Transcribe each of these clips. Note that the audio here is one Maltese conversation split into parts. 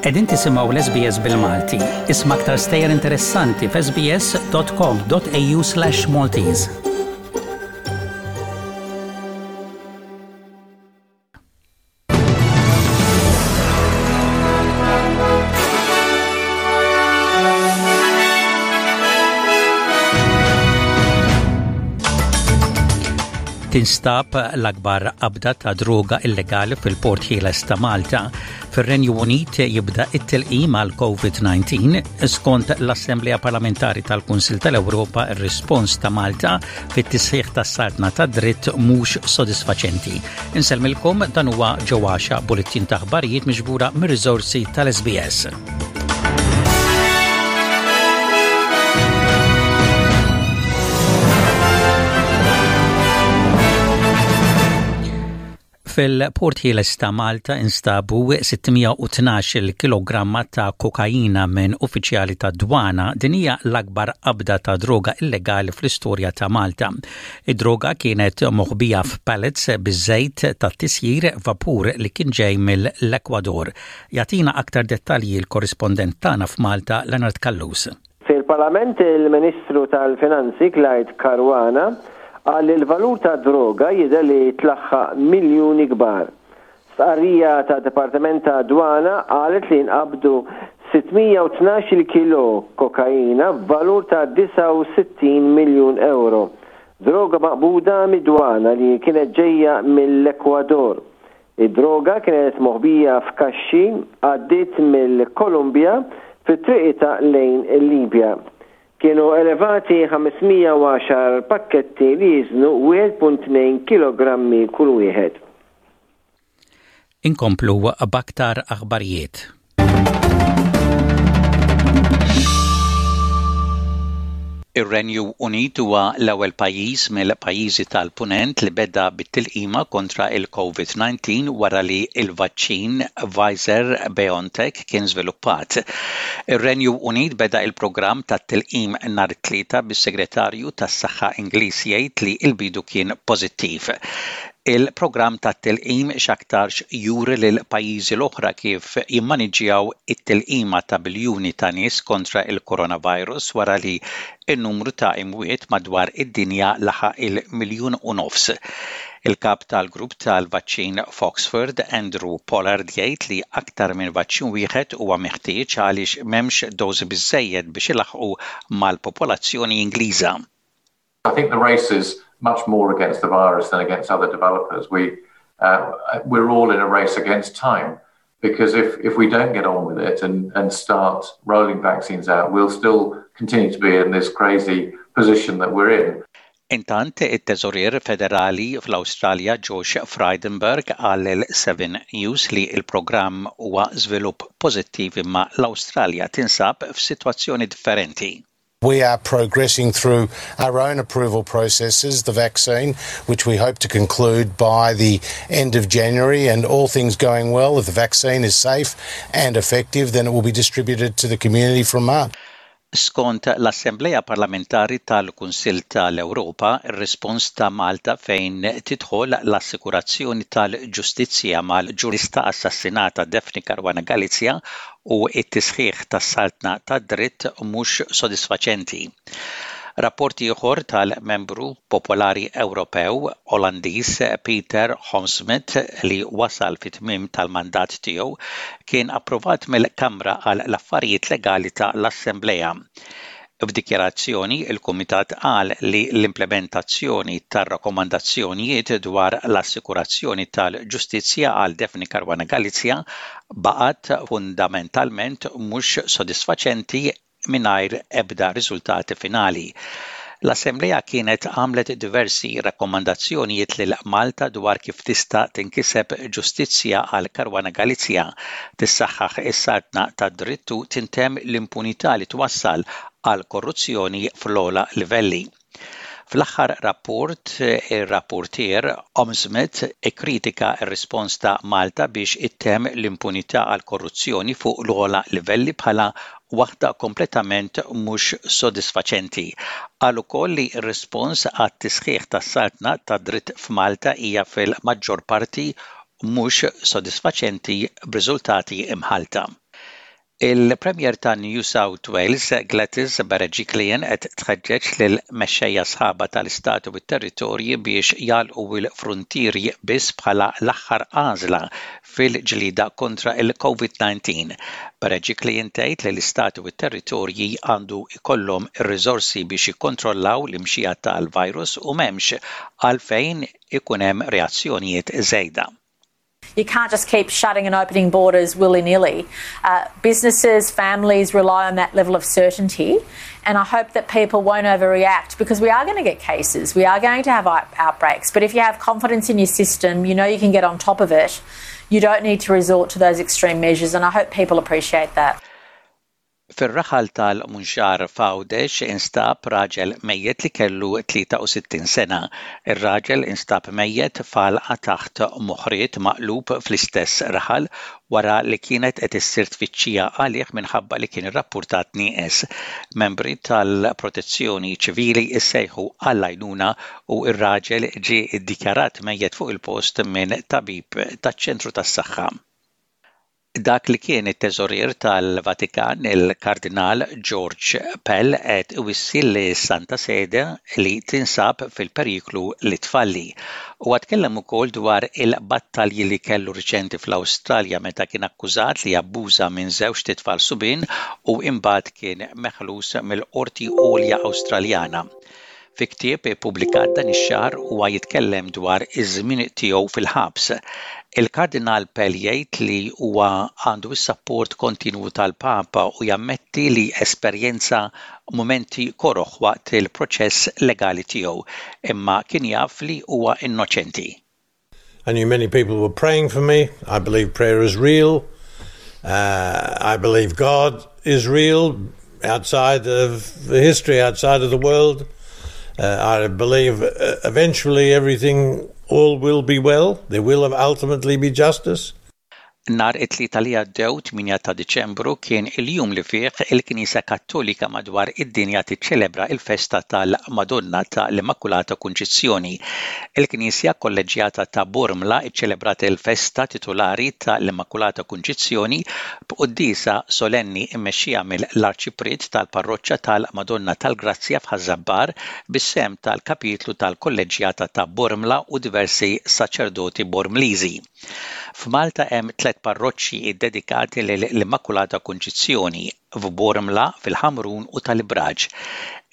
Qegħdin tisimgħu l-SBS bil-Malti. Isma' aktar stejjer interessanti f'sbs.com.au/Maltese. Tinstab l-akbar qabda ta' droga illegali fil-Port Ħieles ta' Malta. Fir-Renju Unit jibda it-tilqim għal COVID-19 skont l-Assemblea Parlamentari tal-Kunsil tal-Ewropa ir-rispons ta' Malta fit-tisħiħ tas-saltna tad-dritt mhux sodisfaċenti. Insellmilkom dan huwa ġewwaxa bulettin ta' aħbarijiet miġbura mir-riżorsi tal-SBS. Fil-Port Ħieles ta' Malta instabu 612 kilogramma ta' kokaina minn uffiċjali ta' dwana. Din hija l-akbar qabda ta' droga illegali fl-istorja ta' Malta. Id-droga kienet moħbija f'pallets biż-żejt tat-tisjir vapur li kien ġej mill-Ekwador. Jagħtina aktar dettalji l-korrispondent tagħna f'Malta, Leonard Callus. Fil-Parlament il-Ministru tal-Finanzi Clyde Caruana qal li l-valur tad-droga jidher li tlaħħaq miljuni kbar. Stqarrija tad-Dipartiment tad-Dwana qalet li nqabdu 612-il kilo kokaina b'valur ta' 69 miljun ewro. Droga maqbuda mid-dwana li kienet ġejja mill-Ekwador. Id-droga kienet moħbija f'kaxxi għaddiet mill-Kolumbja fi triqitha lejn il-Libja. Kienu elevati 510 pakketti li jiżnu 1.2 kilogrammi kull wieħed. Inkomplu b'aktar aħbarijiet. Ir-Renju Unit huwa l-ewwel pajjiż mill-pajjiżi tal-Punent li beda bit-tilqima kontra il-COVID-19 wara li l-vaċċin Pfizer BioNTech kien żviluppat. Ir-Renju Unit beda il-programm tat-tilqim nhar it-Tlieta bis-Segretarju tas-Saħħa Ingliż jgħid li l-bidu kien pożittiv. Il-programm tat-tilqim x'aktarx juri lill-pajjiżi l-oħra kif jimmaniġġjaw it-tilqima ta' biljuni ta' nies kontra l-coronavirus wara li n-numru ta' imwiet madwar id-dinja laħaq il-miljun u nofs. Il-kap tal-grupp tal-vaċċin f'Oxford, Andrew Pollard jgħid li aktar minn vaċċin wieħed huwa meħtieġ għaliex m'hemmx dożi biżżejjed biex ilaħħqu mal-popolazzjoni Ingliża. I think the race is much more against the virus than against other developers. We, uh, we're all in a race against time because if, if we don't get on with it and, and start rolling vaccines out, we'll still continue to be in this crazy position that we're in. Intant, it-Teżorier Federali fl-Awstralja Josh Frydenberg qal lil 7 News li l-programm huwa żvilupp pożittiv imma l-Awstralja tinsab f'sitwazzjoni differenti. We are progressing through our own approval processes, the vaccine, which we hope to conclude by the end of January. And all things going well, if the vaccine is safe and effective, then it will be distributed to the community from March. Skont l-Assemblea Parlamentari tal-Kunsill tal-Ewropa, ir-rispons ta' Malta fejn tidħol l-assikurazzjoni tal-ġustizzja mal-ġurnalista assassinata Daphne Caruana Galizia u t-tisħiħ tas-saltna tad-dritt mhux sodisfaċenti. Rapport ieħor tal-Membru Popolari Ewropew Olandiż Peter Homsmith li wasal fit-tmiem tal-mandat tiegħu kien approvat mill-Kamra għal l-Affarijiet Legali ta' l-Assemblea. F'dikjarazzjoni, il-Kumitat qal li l-implementazzjoni tar-rakkomandazzjonijiet dwar l-assikurazzjoni tal-ġustizzja għal Daphne Caruana Galizia baqgħet fundamentalment mhux sodisfaċenti mingħajr ebda riżultati finali. L-Assemblea kienet għamlet diversi rakkomandazzjonijiet lil Malta dwar kif tista' tinkiseb ġustizzja għal Caruana Galizia, tissaħħaħ is-saltna tad-dritt u tintemm l-impunità li twassal għal korruzzjoni fl-ogħla livelli. Fl-aħħar rapport, ir-rapporteur Omsmith ikkritika r-rispons ta' Malta biex ittemm l-impunità għal korruzzjoni fuq l-ogħla livelli bħala waħda kompletament mhux sodisfaċenti. Qal ukoll li r-rispons għat-tisħiħ tas-saltna tad-dritt f'Malta hija fil-maġġor parti mhux sodisfaċenti b'riżultati mħallta. Il-Premier ta' New South Wales, Gladys Berejiklian qed tħeġġeġ lill-mexxejja sħabha tal-istati u t-territorji biex jagħlqu l-fruntieri biss bħala l-aħħar għażla fil-ġlieda kontra l-COVID-19. Berejiklian tgħid li l-istati u t-territorji għandu jkollhom ir-riżorsi biex jikkontrollaw l-imxija tal-virus u m'hemmx għalfejn ikun hemm reazzjonijiet żejda. You can't just keep shutting and opening borders willy nilly. Uh, businesses, families rely on that level of certainty, and I hope that people won't overreact because we are going to get cases, we are going to have outbreaks. But if you have confidence in your system, you know you can get on top of it, you don't need to resort to those extreme measures, and I hope people appreciate that. Fir-raħal tal-Munxar f'Għawdex instab raġel mejjet li kellu 63 sena. Ir-raġel instab mejjet f'għalqa taħt moħriet maqlub fl-istess raħal wara li kienet qed issir tfittxija għalih minħabba li kien irrappurtat nieqes. Membri tal-Protezzjoni Ċivili ssejħu għall-għajnuna u r-raġel ġie ddikjarat mejjet fuq il-post minn tabib taċ-ċentru tas-saħħa. Dak li kien it-Teżorier tal-Vatikan, il-Kardinal George Pell qed iwissi lis-Santa Sede li tinsab fil-periklu li tfalli. Huwa tkellem ukoll dwar il-battalji li kellu riċenti fl-Awstralja meta kien akkużat li abbuża minn żewġt itfal subien u imbagħad kien meħlus mill-Qorti Għolja Awstraljana. Fi ktieb ippubblikat dan ix-xahar huwa jitkellem dwar iż-żmien tiegħu fil-ħabs. Il-Kardinal Pell jgħid li huwa għandu s-sapport kontinwu tal-Papa u jammetti li esperjenza mumenti koroh waqt il-proċess legali tiegħu, imma kien jaf li huwa innoċenti. I knew many people were praying for me. I believe prayer is real. Uh, I believe God is real outside of the history, outside of the world. Uh, I believe uh, eventually everything, all will be well. There will ultimately be justice. Nhar it-Tlieta li għaddew, 8 ta' Diċembru, kien il-jum li fih il-Knisja Kattolika madwar id-dinja tiċċelebra l-festa tal-Madonna ta' l-Immakulata Kunċizzjoni. Il-Knisja Kolleġġjata ta' Bormla ċċelebrat il-festa titulari ta' l-Immakulata Kunċizzjoni b'quddiesa solenni mmexxija mill-Arċipriet tal-Parroċċa tal-Madonna tal-Grazzja f'Ħaż-Żabbar bis-sehem tal-Kapitlu tal-Kolleġġjata ta' Bormla u diversi saċerdoti Bormliżi. F'Malta hemm tlett parroċċi ddedikati lill-Immakulata Kunċizzjoni, f'Bormla, fil-Ħamrun u tal-Ibraġ.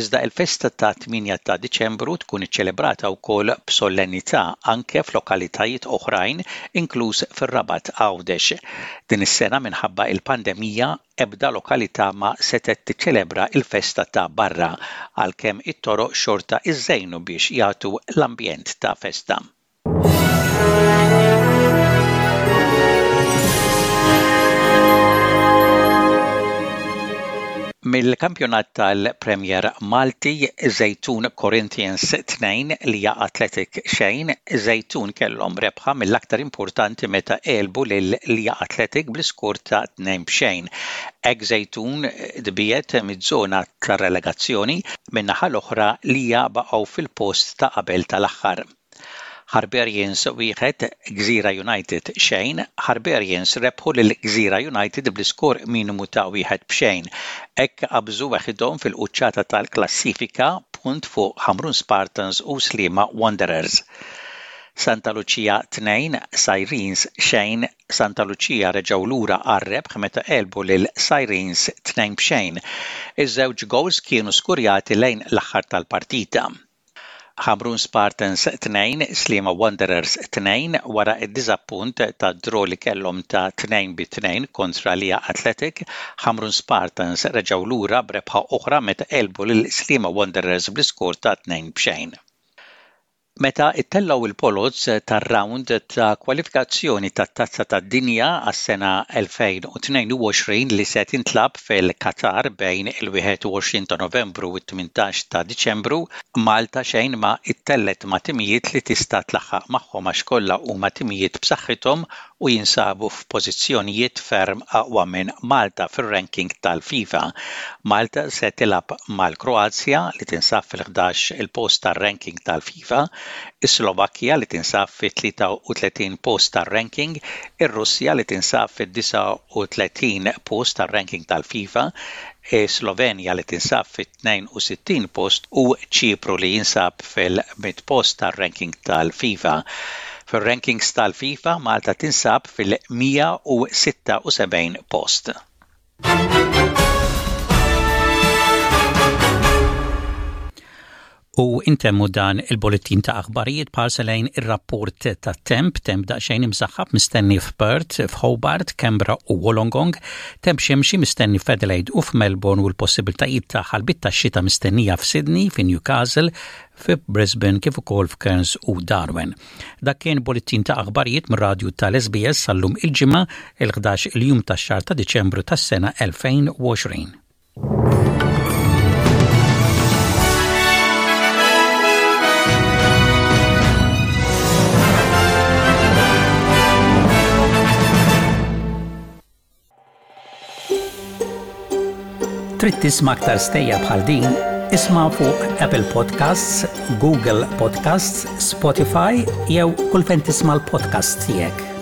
Iżda l-festa ta' 8 ta' Diċembru tkun iċċelebrata wkoll b'sollennità anke f'lokalitajiet oħrajn inkluż fir-Rabat Għawdex. Din is-sena minħabba l-pandemija ebda lokalità ma setgħet tiċċelebra l-festa ta' barra għalkemm it-toroq xorta iżżejnu biex jagħtu l-ambjent ta' festa. Mill-kampjonat tal-Premier Malti, Żejtun Corinthians 2, Lija Athletic xejn, Żejtun kellhom rebħa mill-aktar importanti meta għelbu lil Lija Athletic bl-iskor ta' 2 b'xejn. Hekk Żejtun tbiegħed miż-żona tar-relegazzjoni, min-naħa l-oħra Lija baqgħu fil-post ta' qabel tal-aħħar. Harbarians wieħed, Gżira United xejn, Harbarians rebħu lil Gżira United bl-iskor minimu ta' wieħed b'xejn. Hekk qabżu weħidhom fil-quċċata tal-klassifika, punt fuq Ħamrun Spartans u Sliema Wanderers. Santa Lucia 2, Sirens xejn, Santa Lucia reġgħu lura għar-rebħ meta għelbu lil Sirens 2 b'xejn. Iż-żewġ gowls kienu skurjati lejn l-aħħar tal-partita. Ħamrun Spartans 2, Sliema Wanderers 2, wara d-diżappunt tad-draw li kellhom ta' 2 bi 2 kontra Lija Athletic, Ħamrun Spartans reġgħu lura b'rebħa oħra meta għelbu lil Sliema Wanderers bl-iskor ta' 2 b'xejn. Meta ttellgħu l-poloz tar-rawnd ta' kwalifikazzjoni tat-Tazza tad-Dinja għas-sena 2022 li se tintlagħab fil-Qatar bejn il-21 ta' Novembru u t-18 ta' Diċembru, Malta xejn ma ttellgħet ma' timijiet li tista' tlaħħaq magħhom għax kollha huma timijiet b'saħħithom u jinsabu f'pożizzjonijiet ferm aqwa minn Malta fir-ranking tal-FIFA. Malta se tilgħab mal-Kroazja li tinsab fil-11 il-post tar-ranking tal-FIFA, is-Slovakkja li tinsab fit-33 post tar-ranking, ir-Russja li tinsab fid-39 post tar-ranking tal-FIFA, is-Slovenja li tinsab fit-62 post u Ċipru li jinsab fil-100 post tar-ranking tal-FIFA. Fir-rankings tal-FIFA Malta tinsab fil-176 post. U intemmu dan il-bulletin ta' aħbarijiet b'ħarsa lejn ir-rapport tat-temp, temp daqsxejn imsaħħab mistenni f'Perth, f'Hobart, Canberra u Wollongong, temp xemxi mistenni f'Adelaide u f'Melbourne u l-possibiltajiet ta' ħalbiet tax-xita mistennija f'Sydney, fi Newcastle, fi Brisbane kif ukoll f'Cairns u Darwin. Dak kien bulletin ta' aħbarijiet mir-radju tal-SBS sal-lum il-Ġimgħa, il-11 il-jum tax-xahar ta' Diċembru tas-sena 2020. Trid tisma' aktar stejjer bħal din? Isma' fuq Apple Podcasts, Google Podcasts, Spotify jew kull fejn tisma' l-podcasts tiegħek.